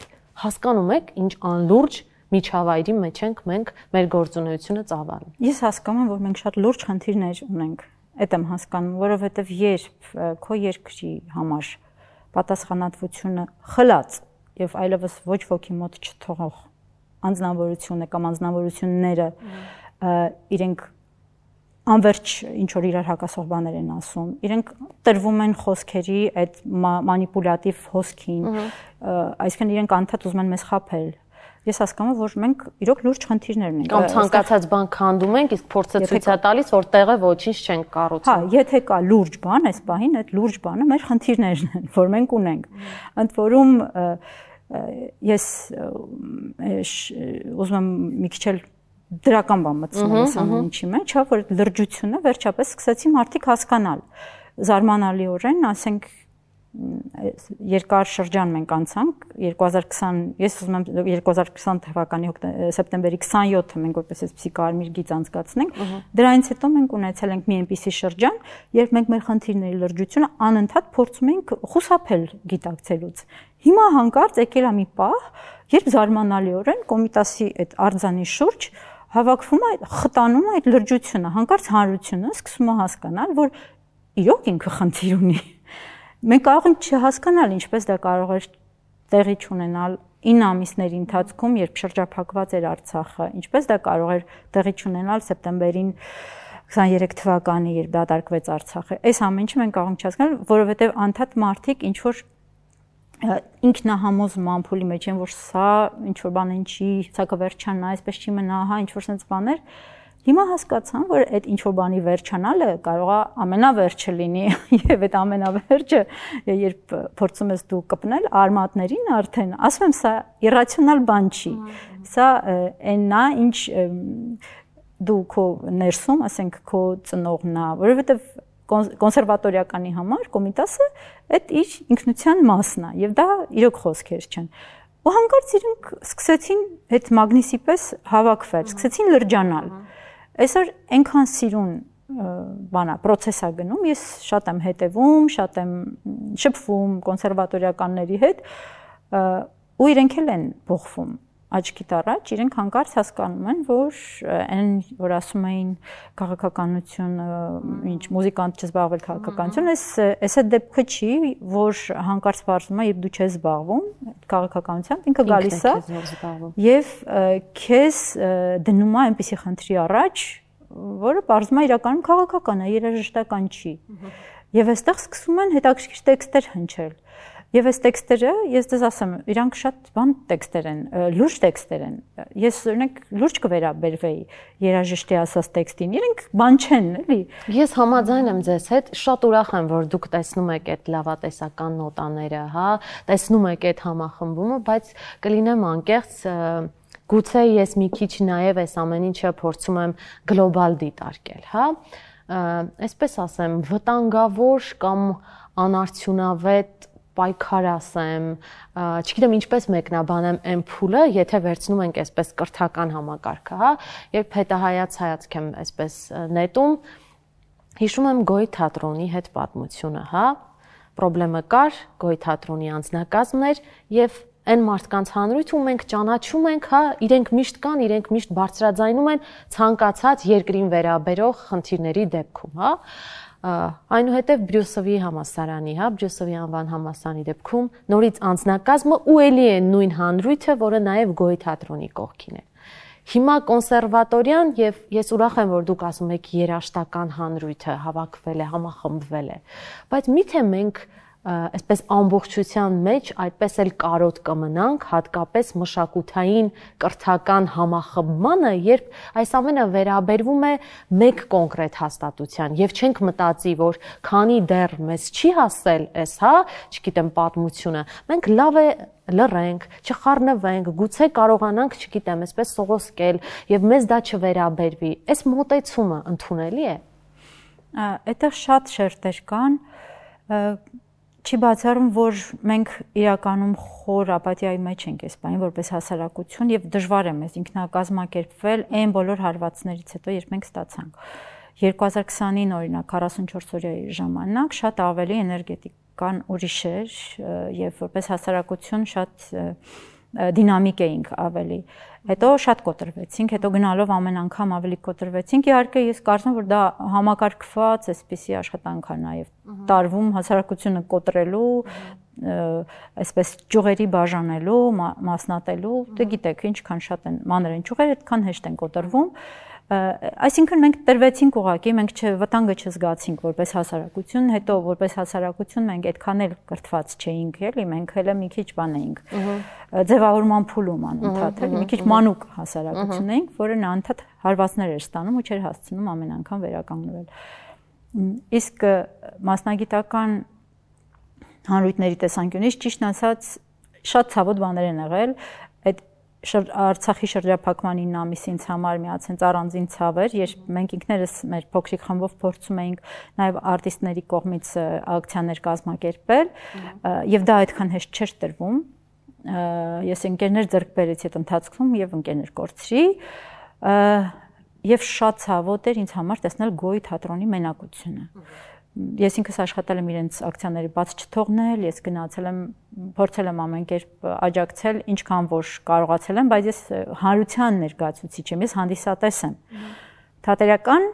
հասկանում եք, ինչ անլուրջ միջավայրի մեջ ենք մենք մեր գործունեությունը ծավալում։ Ես հասկանում եմ, որ մենք շատ լուրջ խնդիրներ ունենք։ Այդ եմ հասկանում, որովհետև երբ քո երկրի համար պատասխանատվությունը խլած եւ այլևս ոչ ոքի մոտ չթողող անձնավորությունը կամ անձնավորությունները իրենք անverջ ինչ որ իրար հակասող բաներ են ասում, իրենք տրվում են խոսքերի այդ մանիպուլատիվ հոսքին, այսինքն իրենք անդադ ուզում են մեզ խաբել։ Ես հասկանում եմ, որ մենք իրոք լուրջ խնդիրներ ունենք։ Կամ ցանկացած բան քանդում ենք, իսկ փորձը ցույց է տալիս, որ տեղը ոչինչ չենք կառուցում։ Հա, եթե կա լուրջ բան, այս պահին այդ լուրջ բանը մեր խնդիրներն են, որ մենք ունենք։ Ընդ որում ես ուզում եմ մի քիչ էլ դրական բան մտցնել այս ամեն ինչի մեջ, հա, որ լրջությունը վերջապես սկսեցի մարդիկ հասկանալ։ Զարմանալիորեն, ասենք երկար շրջան մենք անցանք 2020 ես ուզում եմ 2020 թվականի սեպտեմբերի 27-ը մենք որպես այսպիսի կարմիր գիծ անցկացնենք դրանից հետո մենք ունեցել ենք մի այնպիսի շրջան երբ մենք մեր խնդիրների լրջությունը անընդհատ փորձում ենք խուսափել գիտակցելուց հիմա հանկարծ եկել է մի պահ երբ զարմանալիորեն Կոմիտասի այդ արձանի շուրջ հավաքվում է խտանում է այդ լրջությունը հանկարծ հանրությունը սկսում է հասկանալ որ իրոք ինքը խնդիր ունի Մենք կարող ենք չհասկանալ ինչպես դա կարող էր տեղի ունենալ 9 ամիսների ընթացքում, երբ շրջափակված էր Արցախը, ինչպես դա կարող էր տեղի ունենալ սեպտեմբերին 23 թվականի, երբ դատարկվեց Արցախը։ Այս ամեն ինչը մենք կարող ենք չհասկանալ, որովհետև անդադ մարդիկ ինչ որ ինքնահամոզում ամփուլի մեջ են, որ սա ինչ որ բան ինչի, սա կվերջանա, այսպես չի մնա, հա, ինչ որ sense բաներ Հիմա հասկացան, որ այդ ինչ-որ բանի վերջանալը կարող է ամենավերջը լինի եւ այդ ամենավերջը, երբ փորձում ես դու կպնել արմատներին արդեն, ասում եմ, սա իրացիոնալ բան չի։ Սա այնն է, ինչ դու քո ներսում, ասենք, քո ծնողն է, որովհետեւ կոնսերվատորիականի համար Կոմիտասը այդ իր ինքնության մասն է եւ դա իրոք խոսքեր չեն։ Ու հանկարծ իրենք սկսեցին այդ մագնիսի պես հավաքվել, սկսեցին լրջանալ։ Այսօր այնքան սիրուն բանա, process է գնում, ես շատ եմ հետևում, շատ եմ շփվում կոնսերվատորիականների հետ, ու իրենք էլ են փոխվում աչքիդ առաջ, իրենք հանկարծ հասկանում են, որ այն, որ ասում էին քաղաքականություն, ինչ մուզիկանտ չզբաղվել քաղաքականություն, այս այդ դեպքը չի, որ հանկարծ բարձում է, երբ դու չես զբաղվում քաղաքականությամբ, ինքը գալիս է եւ քեզ դնում է այնպիսի խնդրի առաջ, որը բարձում է իրականում քաղաքական է, երաժշտական չի։ Եվ այստեղ սկսում են հետաքրքիր տեքստեր հնչել։ Եվ այս տեքստերը, ես դες ասեմ, իրանք շատ բան տեքստեր են, լուրջ տեքստեր են։ Ես օրինակ լուրջ կվերաբերվեի երաժշտի ասած տեքստին, իրենք բան չեն, էլի։ Ես համաձայն եմ ձեզ հետ, շատ ուրախ եմ, որ դուք տեսնում եք այդ լավատեսական նոտաները, հա, տեսնում եք այդ համախմբումը, բայց կլինեմ անկեղծ, գուցե ես մի քիչ նաև այս ամեն ինչը փորձում եմ գլոբալ դիտարկել, հա։ Այսպես ասեմ, վտանգավոր կամ անարդյունավետ պայքար ասեմ, չգիտեմ ինչպես մեկնաբանեմ այն փուլը, եթե վերցնում ենք այսպես կրթական համակարգը, հա, երբ հետահայաց հայացք եմ այսպես նետում, հիշում եմ Գոյի թատրոնի հետ պատմությունը, հա, պրոբլեմը կար, Գոյի թատրոնի անձնակազմներ եւ այն մարդկանց հանրույթ ու մենք ճանաչում ենք, հա, իրենք միշտ կան, իրենք միշտ բարձրաձայնում են ցանկացած երկրին վերաբերող խնդիրների դեպքում, հա։ Այնուհետև Բրյուսովի համալսարանի, հա, Բրյուսովի անվան համալսարանի դեպքում նորից անձնակազմը ու էլի է նույն հանրույթը, որը նաև Գոյի թատրոնի կողքին է։ Հիմա կոնսերվատորիան եւ ես ուրախ եմ, որ դուք ասում եք երաժշտական հանրույթը հավաքվել է, համախմբվել է, բայց միթե մենք այսպես ամբողջության մեջ այդպես էլ կարոտ կմնանք, հատկապես մշակութային կրթական համախմբմանը, երբ այս ամենը վերաբերվում է մեկ կոնկրետ հաստատության եւ չենք մտածի, որ քանի դեռ մեզ չի հասել այս, հա, չգիտեմ, պատմությունը, մենք լավ է լռենք, չխառնվենք, գուցե կարողանանք, չգիտեմ, այսպես սողոսկել եւ մեզ դա չվերաբերվի։ Այս մոտեցումը ընդունելի է։ Այդտեղ շատ շերտեր կան, չի բացառում, որ մենք իրականում խոր ապաթիայի մեջ ենք այս բանի որպես հասարակություն եւ դժվար է մեզ ինքնակազմակերպվել այն բոլոր հարվածներից հետո, երբ մենք ստացանք 2020-ին օրինակ 44 օրյայի ժամանակ շատ ավելի էներգետիկան ուրիշ էր եւ որպես հասարակություն շատ դինամիկ էինք ավելի։ Հետո շատ կոտրվեցինք, հետո գնալով ամեն անգամ ավելի կոտրվեցինք։ Իհարկե ես կարծում եմ, որ դա համակարգված էսպիսի աշխատանք է նաև տարվում հասարակությունը կոտրելու, այսպես ճյուղերի բաժանելու, մասնատելու, դե գիտեք, ինչքան շատ են մանր են ճյուղերը, այդքան հեշտ են կոտրվում։ Այսինքն մենք տրվեցինք ուղղակի, մենք վտանգը չզգացինք որպես հասարակություն, հետո որպես հասարակություն մենք այդքան էլ կրթված չէինք, էլի, մենք հələ մի քիչ բան էինք։ Ձևավորման փուլում անընդհատ, էլի, մի քիչ մանուկ հասարակություն էինք, որը անընդհատ հարվածներ էր ստանում ու չէր հասցնում ամեն անգամ վերականգնվել։ Իսկ մասնագիտական հանրույթների տեսանկյունից ճիշտ ասած շատ ցավոտ բաներ են եղել, այդ Արցախի շրջափակման 9 ամիսի ինձ համար միացած առանձին ցավ էր, երբ մենք ինքներս մեր փոքրիկ խմբով փորձում էինք նաև արտիստների կողմից ակցիաներ կազմակերպել, եւ դա այդքան հեշտ չէր տրվում։ Ես ընկերներ ձեռք բերեցի այդ ընթացքում եւ ընկերներ կորցրի, եւ շատ ցավոտ էր ինձ համար տեսնել Գոյի թատրոնի մենակությունը։ Ես ինքս աշխատել եմ իրենց ակցիաների բաց չթողնել, ես գնացել եմ, փորձել եմ ամեն կերպ աջակցել, ինչքան որ կարողացել եմ, բայց ես հանրության ներկայացուցիչ եմ, ես հանդիսատես եմ։ Թատերական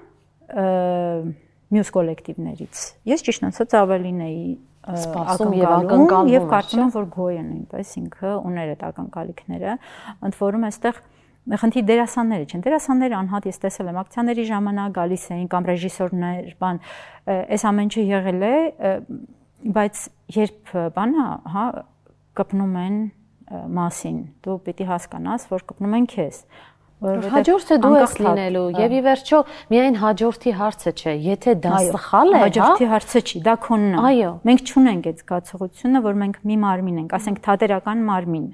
մյուս կոլեկտիվներից։ Ես ճիշտ ասած ավելին էի սպասում եւ ակնկալում եւ կարծում եմ, որ Գոյը նույնպես ինքը ուներ այդ ակնկալիքները, ընդ որում այստեղ խնդիր դերասանները չեն։ Դերասանները անհատ ես տեսել եմ ակցիաների ժամանակ գալիս էին կամ ռեժիսորներ, բան, այս ամեն ինչը եղել է, բայց երբ բանը, հա, կպնում են մասին, դու պիտի հասկանաս, որ կպնում են քեզ։ Հաջորդը դու ես լինելու եւ ի վերջո միայն հաջորդի հարցը չէ, եթե դա սխալ է, հա, հաջորդի հարցը չի, դա քոնն է։ Այո։ Մենք չունենք այդ զգացողությունը, որ մենք մի մարմին ենք, ասենք թատերական մարմին։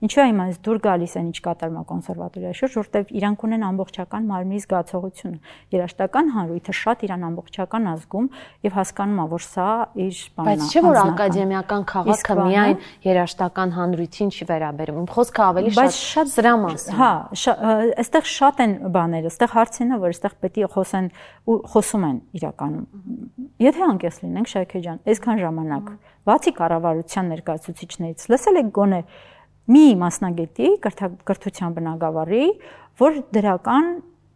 Ինչու է իմանց դուր գալիս են ինչ կատարում է կոնսերվատորիայի շուրջ, որտեղ իրանք ունեն ամբողջական մարմնի զգացողությունը։ Երաժշտական հանրույթը շատ իրան ամբողջական ազգում եւ հասկանում է, որ սա իր բանն է։ Բայց չէ՞ որ ակադեմիական քաղաքը միայն երաժշտական հանրույթին չի վերաբերում։ Խոսքը ավելի շատ սրա մասին։ Հա, այստեղ շատ են բաները, այստեղ հարցին է, որ այստեղ պետք է խոսեն ու խոսում են իրականում։ Եթե անկես լինենք, Շայքե ջան, այսքան ժամանակ, բացի կառավարության ներկայացուցիչներից, լսել եք գոնե մի մասնագետի կրթության բնագավառի, որ դրական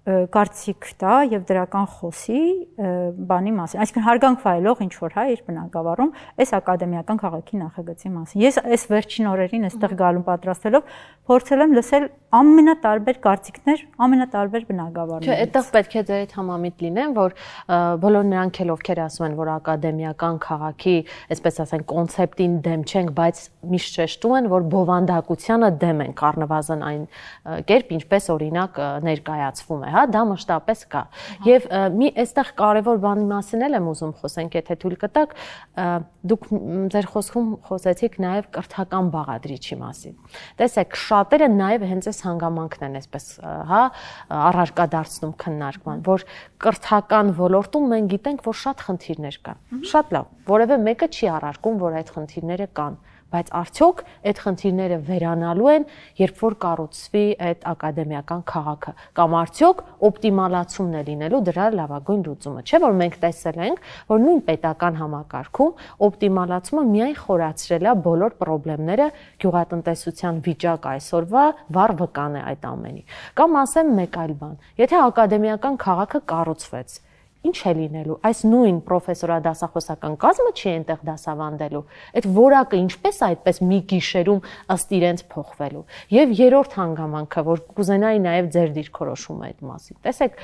կարծիք տա եւ դրական խոսի բանի մասին։ Այսինքն հարգանք վայելող ինչ որ իր բնակավարում այս ակադեմիական քաղաքի նախագծի մասին։ Ես այս վերջին օրերին այստեղ գալու պատրաստելով փորձել եմ լսել ամենատարբեր կարծիքներ, ամենատարբեր բնակավարներ։ Չէ, այդտեղ պետք է ձեր հետ համամիտ լինեն, որ բոլոր նրանք էլ ովքեր ասում են, որ ակադեմիական քաղաքի, այսպես ասենք, կոնցեպտին դեմ չենք, բայց միշտ շեշտում են, որ բովանդակությանը դեմ են, առնվազն այն կերպ, ինչպես օրինակ ներկայացվում է, հա, դա մշտապես կա։ Եվ մի այստեղ կարևոր բանի մասին էլ եմ ուզում խոսենք, եթե թույլ կտաք, դուք ձեր խոսքում խոսեցիք նաև կրթական բաղադրիչի մասին։ Տեսեք, շատերը նաև հենց այս հանգամանքն են, այսպես, հա, առարկա դարձնում քննարկման, որ կրթական ոլորտում մենք գիտենք, որ շատ խնդիրներ կան։ Շատ լավ, որևէ մեկը չի առարկում, որ այդ խնդիրները կան, բայց արդյոք այդ խնդիրները վերանալու են, երբ որ կառուցվի այդ ակադեմիական քաղաքը, կամ արդյոք օպտիմալացումն է լինելու դրա լավագույն լուծումը։ Չէ՞ որ մենք տեսել ենք, որ նույն պետական համակարգում օպտիմալացումը միայն խորացրել է բոլոր խնդիրները, գյուղատնտեսության վիճակ այսօրվա վառ վկան է այդ ամենի։ Կամ ասեմ մեկ այլ բան, եթե ակադեմիական քաղաքը կառուցվեց, ինչ է լինելու, այս նույն պրոֆեսորադասախոսական կազմը չի այնտեղ դասավանդելու, այդ որակը ինչպես այդպես մի գիշերում ըստ իրենց փոխվելու։ Եվ երրորդ հանգամանքը, որ կուզենայի նաև ձեր դիրքորոշումը այդ մասին։ Տեսեք,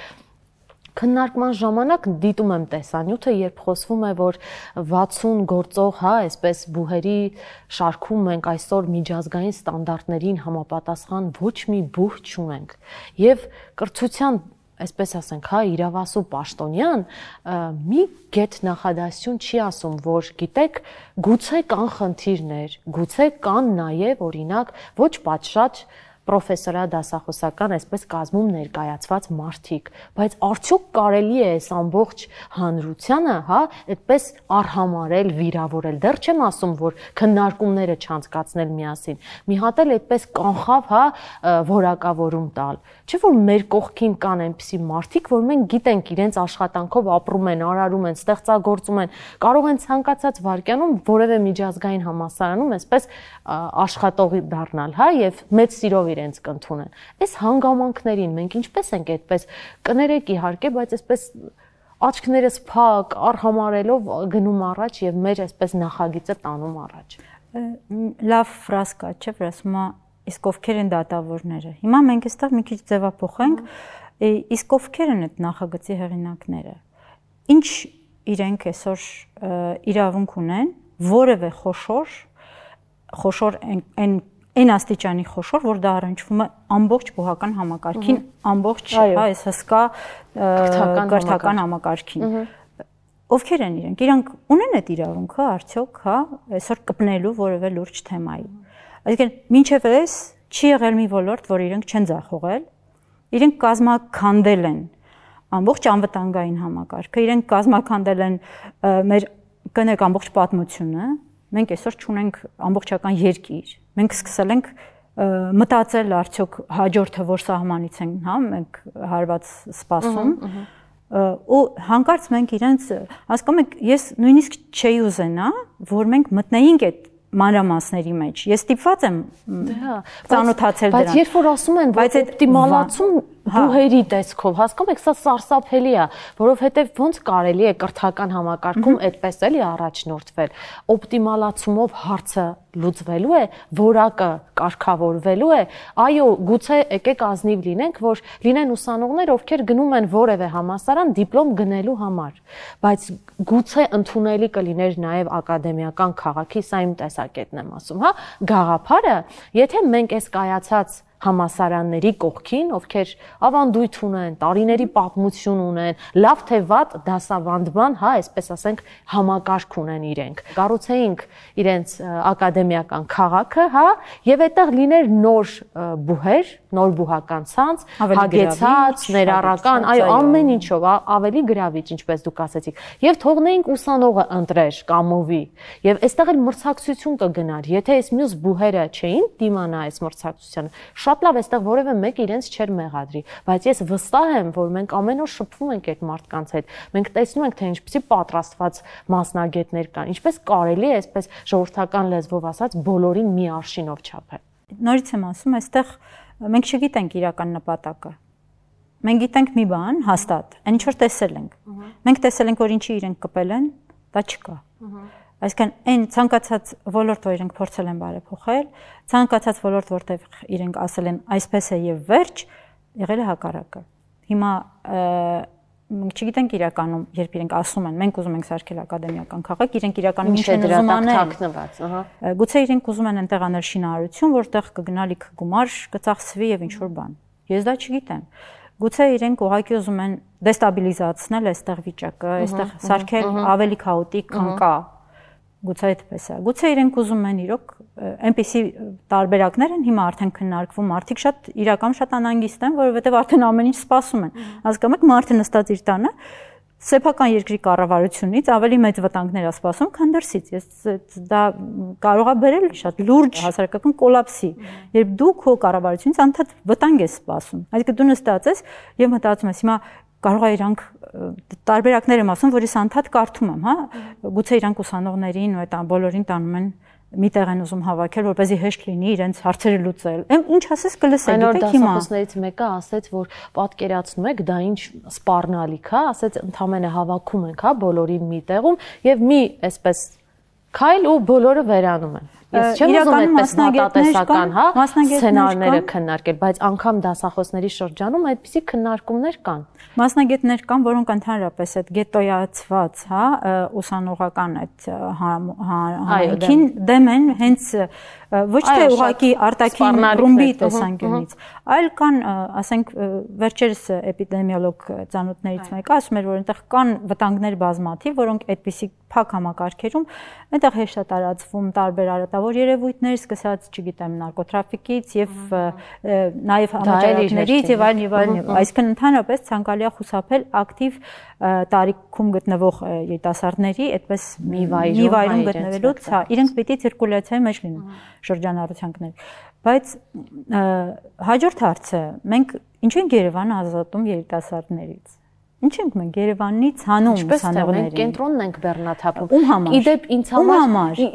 քննարկման ժամանակ դիտում եմ տեսանյութը, երբ խոսվում է, որ 60 գործող, հա, այսպես բուհերի շարքում մենք այսօր միջազգային ստանդարտներին համապատասխան ոչ մի բուհ չունենք։ Եվ կրթության, այսպես ասենք, հա, իրավասու պաշտոնյան մի գետ նախադասություն չի ասում, որ գիտեք, գուցե կան խնդիրներ, գուցե կան նաև օրինակ ոչ պատշաճ պրոֆեսորադասախոսական այսպես կազմում ներկայացված մարդիկ, բայց արդյոք կարելի է այս ամբողջ հանրությանը, հա, այդպես արհամարել, վիրավորել։ Դեռ չեմ ասում, որ քննարկումները չանցկացնել միասին։ Մի հատ էլ այդպես կանխավ, հա, որակավորում տալ։ Չէ՞ որ մեր կողքին կան այնպիսի մարդիկ, որ մենք գիտենք իրենց աշխատանքով ապրում են, արարում են, ստեղծագործում են, կարող են ցանկացած վայրկյանում որևէ միջազգային համալսարանում այսպես աշխատող դառնալ, հա, եւ մեծ սիրով իրենց կընդունեն։ Այս հանգամանքներին մենք ինչպես ենք այդպես կներեք իհարկե, բայց այսպես աչքներս փակ, արհամարելով գնում առաջ եւ մեր այսպես նախագիծը տանում առաջ։ Լավ ֆրազ կա, չէ՞, որ ասում է իսկ ովքեր են դատավորները։ Հիմա մենք այստեղ մի քիչ ձևափոխենք, իսկ ովքեր են այդ նախագծի հեղինակները։ Ինչ իրենք այսօր իրավունք ունեն որևէ խոշոր այն աստիճանի խոշոր, որ դա առնչվում է ամբողջ բուհական համակարգին, ամբողջ, հա, այս հսկա կրթական համակարգին։ Ովքեր են իրենք։ Իրանք ունեն այդ իրավունքը արդյոք, հա, այսօր կպնելու որևէ լուրջ թեմայի։ Այսինքն, մինչև այս չի եղել մի ոլորտ, որ իրենք չեն ձախողել, իրենք կազմաքանդել են ամբողջ անվտանգային համակարգը, իրենք կազմաքանդել են մեր կներեք ամբողջ պատմությունը, մենք այսօր չունենք ամբողջական երկիր, մենք սկսել ենք մտածել արդյոք հաջորդը որ սահմանից են, հա, մենք հարված սպասում, ու հանկարծ մենք իրենց, հասկանում եք, ես նույնիսկ չէի ուզենա, որ մենք մտնեինք այդ մանրամասների մեջ։ Ես ստիպված եմ ծանոթացել դրան։ Բայց երբ որ ասում են, որ օպտիմալացում բուհերի տեսքով, հասկանում եք, սա սարսափելի է, որովհետև ոնց կարելի է կրթական համակարգում այդպես էլի առաջնորդվել։ Օպտիմալացումով հարցը լուծվելու է, որակը կարգավորվելու է։ Այո, գուցե եկեք ազնիվ լինենք, որ լինեն ուսանողներ, ովքեր գնում են որևէ համալսարան դիպլոմ գնելու համար, բայց գուցե ընդունելի կլիներ նաև ակադեմիական քաղաքի, սա իմ տեսակետն եմ ասում, հա, գաղափարը, եթե մենք այս կայացած համասարանների կողքին, ովքեր ավանդույթ ունեն, տարիների պատմություն ունեն, լավ թե վատ դասավանդման, հա, այսպես ասենք, համակարգ ունեն իրենք։ Կառուցեինք իրենց ակադեմիական քաղաքը, հա, եւ այդտեղ լիներ նոր բուհեր, նոր բուհական ցանց, հագեցած, ներառական, այո, ամեն ինչով, ավելի գրավիչ, ինչպես դուք ասեցիք, եւ թողնեինք ուսանողը ընտրեր, կամովի, եւ այստեղ էլ մրցակցություն կգնար, եթե այս մյուս բուհերը չէին դիմանա այս մրցակցությանը, շատ լավ, այստեղ որևէ մեկ իրենց չէր մեղադրի, բայց ես վստահ եմ, որ մենք ամեն օր շփվում ենք այդ մարդկանց հետ, մենք տեսնում ենք, թե ինչպեսի պատրաստված մասնագետներ կան, ինչպես կարելի է այսպես ժողովրդական լեզվով ասած բոլորին մի արշինով չափել։ Նորից եմ ասում, այստեղ մենք չգիտենք իրական նպատակը։ մենք գիտենք մի բան հաստատ, այն ինչ որ տեսել ենք։ Մենք տեսել ենք, որ ինչի իրենք կպել են, դա չկա։ Այսինքն այն ցանկացած ոլորտ, որ իրենք փորձել են բարեփոխել, ցանկացած ոլորտ, որտեղ իրենք ասել են այսպես է եւ վերջ, եղել է հակառակը։ Հիմա մենք չգիտենք իրականում, երբ իրենք ասում են, մենք ուզում ենք սարքել ակադեմիական քաղաք, իրենք իրականում ինչ են ուզում անել։ Գուցե իրենք ուզում են այնտեղ անել շինարարություն, որտեղ կգնա լիքը գումար, կծախսվի եւ ինչ որ բան։ Ես դա չգիտեմ։ Գուցե իրենք ուղղակի ուզում են դեստաբիլիզացնել այստեղ վիճակը, այստեղ սարքել ավելի քաոտիկ, քան կա։ Գուցե այդպես է։ Գուցե իրենք ուզում են իրոք այնպիսի տարբերակներ են հիմա արդեն քննարկվում, մարդիկ շատ իրական շատ անհանգիստ են, որովհետև արդեն ամեն ինչ սպասում են։ Հասկանում եք, մարդը նստած իր տանը սեփական երկրի կառավարությունից ավելի մեծ վտանգներ է սպասում, քան դրսից։ Ես դա կարող է բերել շատ լուրջ հասարակական կոլապսի, երբ դու քո կառավարությունից անդադ վտանգ ես սպասում։ Այսինքն դու նստած ես եւ մտածում ես, հիմա կարող է իրանք տարբերակներ եմ ասում, որ ես անդադ կարդում եմ, հա, գուցե իրանք ուսանողներին ու այդ բոլորին տանում են մի տեղ են ուզում հավաքել, որպեսզի հեշտ լինի իրենց հարցերը լուծել։ Ինչ ասես կլսեք, գիտեք հիմա։ Դասախոսներից մեկը ասեց, որ պատկերացնում եք, դա ինչ սպառնալիք է, ասեց ընդամենը հավաքում ենք, հա, բոլորին մի տեղում եւ մի այսպես քայլ ու բոլորը վերանում են։ Ես չեմ ուզում այդպես մտածական, հա, սցենարները քննարկել, բայց անգամ դասախոսների շրջանում այդպիսի քննարկումներ կան։ Մասնագետներ կան, որոնք ընդհանրապես այդ գետոյացված, հա, ուսանողական այդ հանրային դեմ են, հենց ոչ թե ուղղակի արտաքին ռումբի տեսանկյունից, այլ կան, ասենք, վերջերս էպիդեմիոլոգ ծանոթներից մեկը ասում էր, որ այնտեղ կան վտանգներ բազմաթիվ, որոնք այդպիսի փակ համակարգերում այնտեղ հեշտ է տարածվում տարբեր արատավոր երևույթներ, սկսած, չգիտեմ, նարկոտրաֆիկից եւ նաեւ համաճարակներից եւ այլն, այսինքն ընդհանրապես ցանկալի է խուսափել ակտիվ տարիքում գտնվող երիտասարդների այդպես մի վայրում գտնվելուց, հա, իրենք պիտի ցիրկուլյացիայի մեջ լինեն շրջանառությանքներ։ Բայց հաջորդ հարցը, մենք ինչ ենք Երևանը ազատում երիտասարդներից։ Ինչ ենք մենք Երևանից հանում ուսանողներին։ Մենք կենտրոնն ենք բեռնաթափում։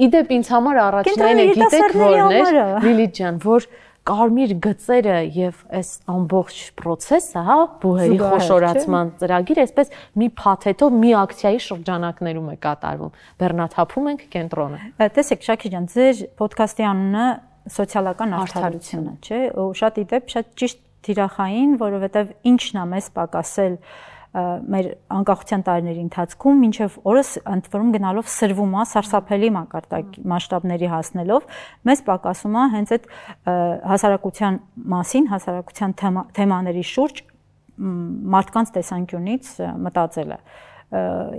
Իդեպ ինձ համար առաջնային է, գիտեք որն է, Լիլիթ ջան, որ կարմիր գծերը եւ այս ամբողջ process-ը, հա, բուհերի խոշորացման ծրագիրը այսպես մի փաթեթով մի ակցիայի շրջանակներում է կատարվում։ Բեռնաթափում ենք կենտրոնը։ Տեսեք, Շաքի ջան, ձեր ոդքասթի անունը սոցիալական արդարությունը, չէ՞, ու շատ իդեպ շատ ճիշտ թիրախային, որովհետեւ ինչն է մեզ պակասել մեր անկախության տարիների ընթացքում մինչև օրս ընդ որում գնալով սրվում է սարսափելի մակարդակի մասշտաբների հասնելով մեզ պակասում է հենց այդ հասարակության մասին, հասարակության թեմաների շուրջ մարդկանց տեսանկյունից մտածելը։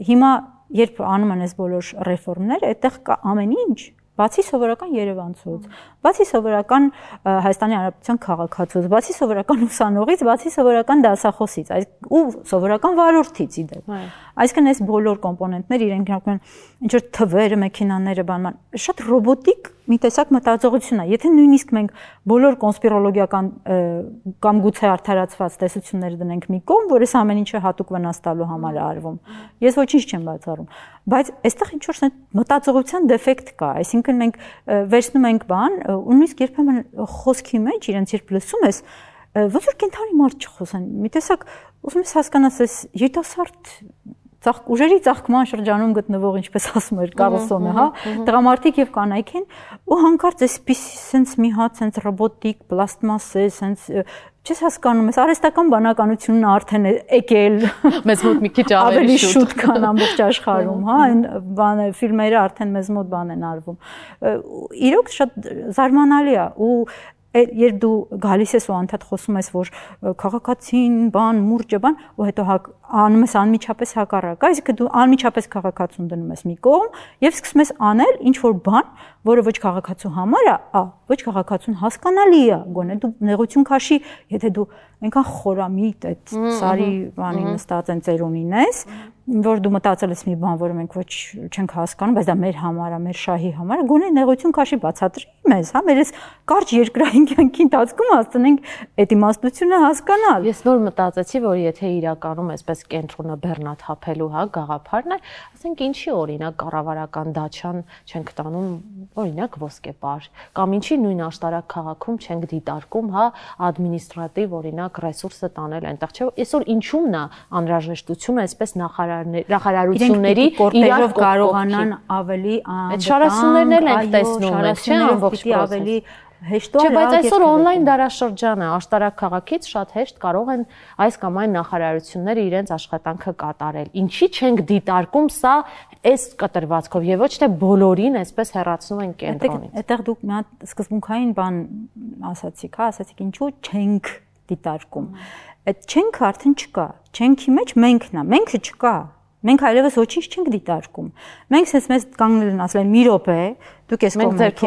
Հիմա երբ անում են այս բոլոր ռեֆորմները, այդտեղ կա ամեն ինչ, բացի սովորական երևանցուց, բացի սովորական Հայաստանի Հանրապետության քաղաքացուց, բացի սովորական ուսանողից, բացի սովորական դասախոսից, ու սովորական վարորդից իդեպ։ Այսինքն այս բոլոր կոմպոնենտները իրենք ինչ որ թվերը, մեքենաները, բանման, շատ ռոբոտիկ մի տեսակ մտածողություն է։ Եթե նույնիսկ մենք բոլոր կոնսպիրոլոգիական կամ գուցե արդարացված տեսությունները դնենք մի կողմ, որ այս ամեն ինչը հատուկ վնաս տալու համար է արվում, ես ոչինչ չեմ բացառում, բայց այստեղ ինչ որ մտածողության դեֆեկտ կա, այսինքն մենք վերցնում ենք բան, ու նույնիսկ երբեմն խոսքի մեջ իրենց երբ լսում ես, ոնց որ կենթանի մարդ չխոսեն, մի տեսակ ուզում ես հասկանաս, այս երիտասարդ ուժերի ծաղկման շրջանում գտնվող, ինչպես ասում էր Կարլսոնը, հա, տղամարդիկ եւ կանայք են, ու հանկարծ այսպիսի sense մի հատ sense ռոբոտիկ, պլաստմասե, sense չես հասկանում, այս արհեստական բանականությունն արդեն է եկել մեզ մոտ մի քիչ ավելի շուտ քան ամբողջ աշխարհում, հա, այն բանը ֆիլմերը արդեն մեզ մոտ բան են արվում։ Իրոք շատ զարմանալի է ու երբ դու գալիս ես ու անդադ խոսում ես, որ քաղաքացին, բան, մուրճը, բան, ու հետո անում ես անմիջապես հակառակը, այսինքն դու անմիջապես քաղաքացուն դնում ես մի կողմ եւ սկսում ես անել ինչ որ բան, որը ոչ քաղաքացու համար է, ոչ քաղաքացուն հասկանալի է, գոնե դու նեղություն քաշի, եթե դու այնքան խորամիտ այդ սարի բանի նստած են ծերունին ես, որ դու մտածել ես մի բան, որը մենք ոչ չենք հասկանում, բայց դա մեր համար է, մեր շահի համար է, գոնե նեղություն քաշի բացատրի մեզ, հա, մեր այս կարճ երկրային կյանքի ընթացքում հասցնենք այդ իմաստությունը հասկանալ։ Ես նոր մտածեցի, որ եթե իրականում այսպես կենտրոնը բեռնաթափելու, հա, գաղափարն է, ասենք ինչի օրինակ կառավարական դաչան չենք տանում, օրինակ ոսկեպար, կամ ինչի նույն աշտարակ քաղաքում չենք դիտարկում, հա, ադմինիստրատիվ օրինակ ռեսուրսը տանել այնտեղ, չէ՞, այսօր ինչու՞մն է անհրաժեշտությունը այսպես նախարարությունների իրար կարողանան ավելի այդ շարասուններն էլ ենք տեսնում, չէ՞, ամբողջ ավելի հեշտորեն։ Չէ, բայց այսօր on-line դարաշրջան է, աշտարակ քաղաքից շատ հեշտ կարող են այս կամ այն նախարարությունները իրենց աշխատանքը կատարել։ Ինչի չենք դիտարկում սա այս կտրվածքով եւ ոչ թե բոլորին այսպես հեռացնում են կենտրոնից։ Այդտեղ դուք մի հատ սկզբունքային բան ասացիք, հա, ասացիք ինչու չենք դիտարկում։ Այդ չենք արդեն չկա։ Չենքի մեջ մենքն է, մենքը չկա։ Մենք այլևս ոչինչ չենք դիտարկում։ Մենք sense մեզ կանգնել են ասել մի րոպե, դուք ես կողմն եք,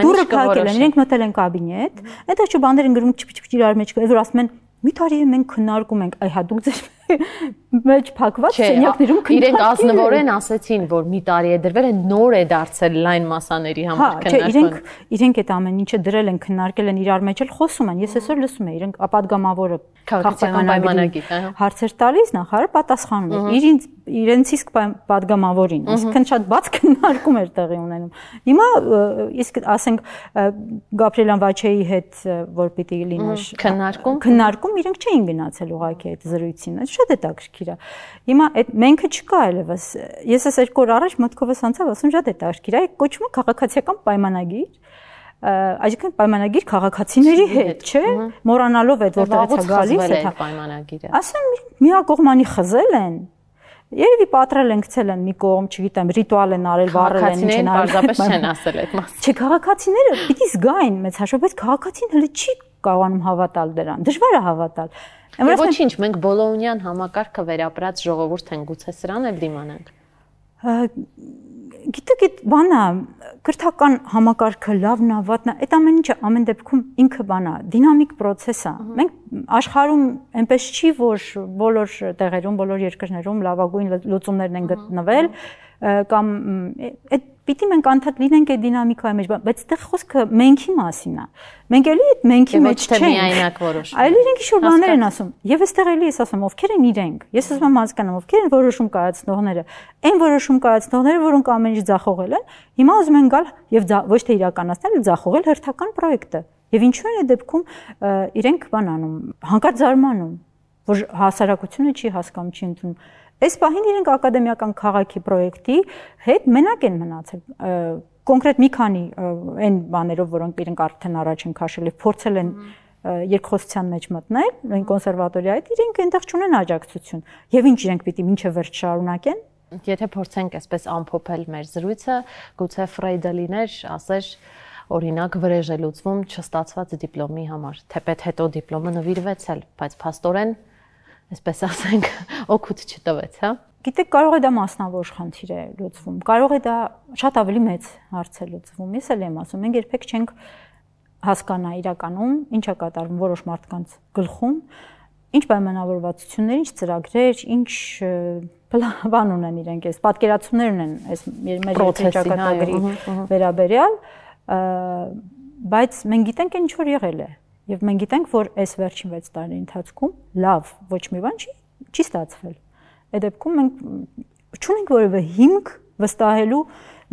դուրը փակել են, իրենք մտել են կաբինետ, այնտեղ չէ բաներ են գրում չփչփ իրար մեջ, որ ասում են մի տարի է մենք քննարկում ենք, այ հա դուք ձեր մեջ փակված սենյակներում քննարկում։ Իրենք ազնվորեն ասեցին, որ մի տարի է դրվել են, նոր է դարձել լայն մասաների համար քննարկումը։ Իրենք այդ ամեն ինչը դրել են, քննարկել են իրար մեջ էլ խոսում են։ Ես այսօր լսում եմ, իրենք ապադգամավորը քաղաքական պայմանագիր, հարցեր տալիս, նախարարը պատասխանում է իրենց իսկ падգամավորին, այսինքն շատ բաց քննարկում էր տեղի ունենում։ Հիմա իսկ ասենք Գաբրիելյան Վաչեի հետ որ պիտի լիներ քննարկում իրենք չէին գնացել ուղղակի այդ զրույցին, շատ հետաքրքիր է։ Հիմա այդ մենքը չկա այլևս։ Ես այս երկու օր առաջ մտքովս անցավ, ասում շատ հետաքրքիր է, կոչվում է քաղաքացիական պայմանագիր։ Այսինքն պայմանագիր քաղաքացիների հետ, չէ՞, մոռանալով այդ որտեղից է գալիս այդ պայմանագիրը։ Ասեմ միակողմանի խզել են։ Երևի պատրել են գցել են մի կողմ, չգիտեմ, ռիտուալ են արել, վառել են, ինչ են արել, պարզապես չեն ասել այդ մասը։ Չէ, քաղաքացիները պիտի զգային մեծ հաշվով, բայց քաղաքացին հələ չի կարողանում հավատալ դրան։ Դժվար է հավատալ։ Ոչինչ, մենք բոլոնյան համակարգը վերապրած ժողովուրդ ենք, գուցե սրան էլ դիմանանք։ Գիտեք, այդ բանը կրթական համակարգը լավն է, վատն է, այդ ամեն ինչը ամեն դեպքում ինքը բան է, դինամիկ process է։ Մենք աշխարհում այնպես չի, որ բոլոր տեղերում, բոլոր երկրներում լավագույն լուծումներն են գտնվել, կամ այդ պիտի մենք անդադ լինենք այդ դինամիկայի մեջ, բայց այդտեղ խոսքը մենքի մասին է։ Մենք էլի այդ մենքի մեջ չենք։ Այլ իրենք ինչ-որ բաներ են ասում։ Եվ այստեղ էլի ես ասում, ովքեր են իրենք։ Ես ասում եմ հասկանամ, ովքեր են որոշում կայացնողները։ Այն որոշում կայացնողները, որոնք ամեն ինչ ձախողել են, հիմա ուզում են գալ եւ ոչ թե իրականացնել, այլ ձախողել հերթական պրոյեկտը։ Եվ ինչու են այդ դեպքում իրենք բան անում, հանկարծ զարմանում, որ հասարակությունը չի հասկանում, չի ընդունում։ Այս պահին իրենք ակադեմիական քաղաքի պրոյեկտի հետ մենակ են մնացել կոնկրետ մի քանի այն բաներով, որոնք իրենք արդեն առաջ են քաշել եւ փորձել են երկխոսության մեջ մտնել, այն կոնսերվատորիայից իրենք այնտեղ չունեն աջակցություն։ Եվ ինչ իրենք պիտի մինչև վերջ շարունակեն։ Եթե փորձենք այսպես ամփոփել մեր զրույցը, գուցե Ֆրեյդը լիներ, ասեր օրինակ վրեժ է լուծվում չստացված դիպլոմի համար, թեպետ հետո դիպլոմը նվիրվեցել, բայց փաստորեն այսպես ասենք, օգուտ չտվեց, հա։ Գիտեք, կարող է դա մասնավոր խնդիր է լուծվում, կարող է դա շատ ավելի մեծ հարց է լուծվում։ Ես էլ եմ ասում, մենք երբեք չենք հասկանա իրականում ինչ է կատարվում որոշ մարդկանց գլխում, ինչ պայմանավորվածություններ, ինչ ծրագրեր, ինչ բան ունեն իրենք, այս պատկերացումներ ունեն այս մեր ճակատագրի վերաբերյալ, բայց մենք գիտենք ինչ որ եղել է։ Եվ մենք գիտենք, որ այս վերջին 6 տարի ընթացքում լավ ոչ մի բան չի ստացվել։ Այդ դեպքում մենք չունենք որևէ հիմք վստահելու,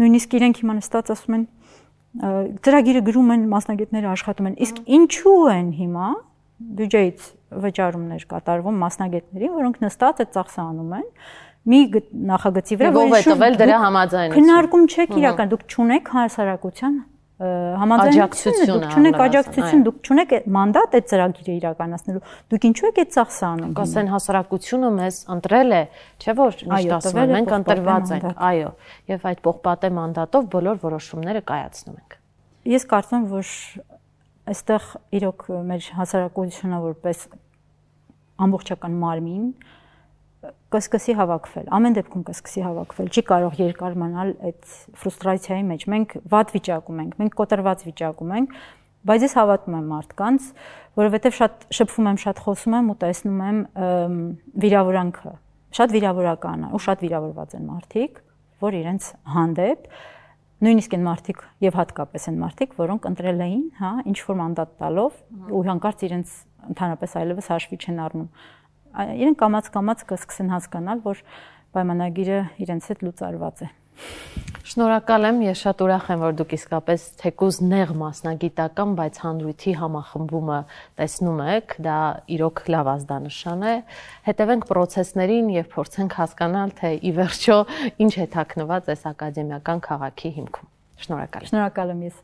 նույնիսկ իրենք հիմա նստած ասում են ծրագիրը գրում են, մասնագետները աշխատում են, իսկ ինչու են հիմա բյուջեից վճարումներ կատարվում մասնագետներին, որոնք նստած այդ ծախսը անում են, մի նախագծի վրա, որ հետվել դրա համաձայնություն։ Քննարկում չեք իրական, դուք չունեք հասարակության համաձայնություն, դուք չունեք աջակցություն, դուք չունեք մանդատ այդ ծրագիրը իրականացնելու։ Դուք ինչու եք այդ ծախսը անում։ Կասեն հասարակությունը մեզ ընտրել է, չէ՞ որ միշտ ասում են, մենք ընտրված ենք, այո, եւ այդ պողպատե մանդատով բոլոր որոշումները կայացնում ենք։ Ես կարծում եմ, որ այստեղ իրոք մեր հասարակությունը որպես ամբողջական մարմին կսկսի հավաքվել, ամեն դեպքում կսկսի հավաքվել, չի կարող երկար մնալ այդ ֆրուստրացիայի մեջ։ Մենք վատ վիճակում ենք, մենք կոտրված վիճակում ենք, բայց ես հավատում եմ մարդկանց, որովհետև շատ շփվում եմ, շատ խոսում եմ ու տեսնում եմ վիրավորանքը, շատ վիրավորական է ու շատ վիրավորված են մարդիկ, որ իրենց հանդեպ նույնիսկ այն մարդիկ եւ հատկապես այն մարդիկ, որոնք ընտրել էին, հա, ինչ որ մանդատ տալով ու հանկարծ իրենց ընդհանրապես այլևս հաշվի չեն առնում։ Իրենք կամաց-կամաց կսկսեն հասկանալ, որ պայմանագիրը իրենց հետ լուծարված է։ Շնորհակալ եմ, ես շատ ուրախ եմ, որ դուք իսկապես թեկուզ նեղ մասնագիտական, բայց հանրույթի համախմբումը տեսնում եք, դա իրոք լավ ազդանշան է։ Հետևենք process-ներին եւ փորձենք հասկանալ, թե ի վերջո ինչ է թաքնված այս ակադեմիական քաղաքի հիմքում։ Շնորհակալ եմ։ Շնորհակալ եմ ես։